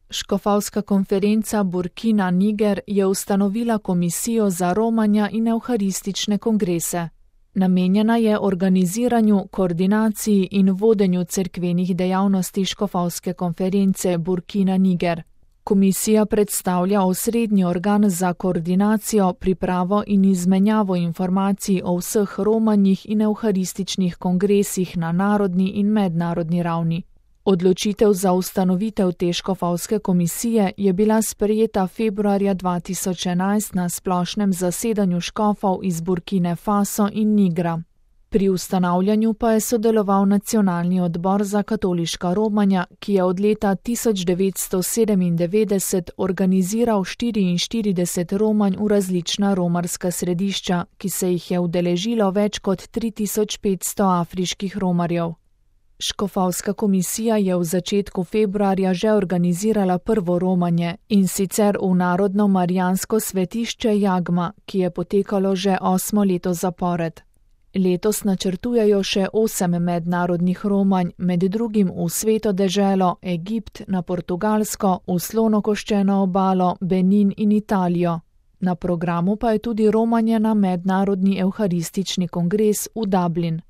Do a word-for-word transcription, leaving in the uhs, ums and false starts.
Škofovska konferenca Burkina Niger je ustanovila komisijo za romanja in evharistične kongrese. Namenjena je organiziranju, koordinaciji in vodenju cerkvenih dejavnosti Škofovske konference Burkina Niger. Komisija predstavlja osrednji organ za koordinacijo, pripravo in izmenjavo informacij o vseh romanjih in evharističnih kongresih na narodni in mednarodni ravni. Odločitev za ustanovitev te škofovske komisije je bila sprejeta februarja dva tisoč enajst na splošnem zasedanju škofov iz Burkine Faso in Nigra. Pri ustanavljanju pa je sodeloval Nacionalni odbor za katoliška romanja, ki je od leta tisoč devetsto sedemindevetdeset organiziral štiriinštirideset romanj v različna romarska središča, ki se jih je udeležilo več kot tri tisoč petsto afriških romarjev. Škofovska komisija je v začetku februarja že organizirala prvo romanje, in sicer v Narodno marijansko svetišče Jagma, ki je potekalo že osmo leto zapored. Letos načrtujejo še osem mednarodnih romanj, med drugim v Sveto deželo, Egipt, na Portugalsko, v Slonokoščeno obalo, Benin in Italijo. Na programu pa je tudi romanje na mednarodni evharistični kongres v Dublin.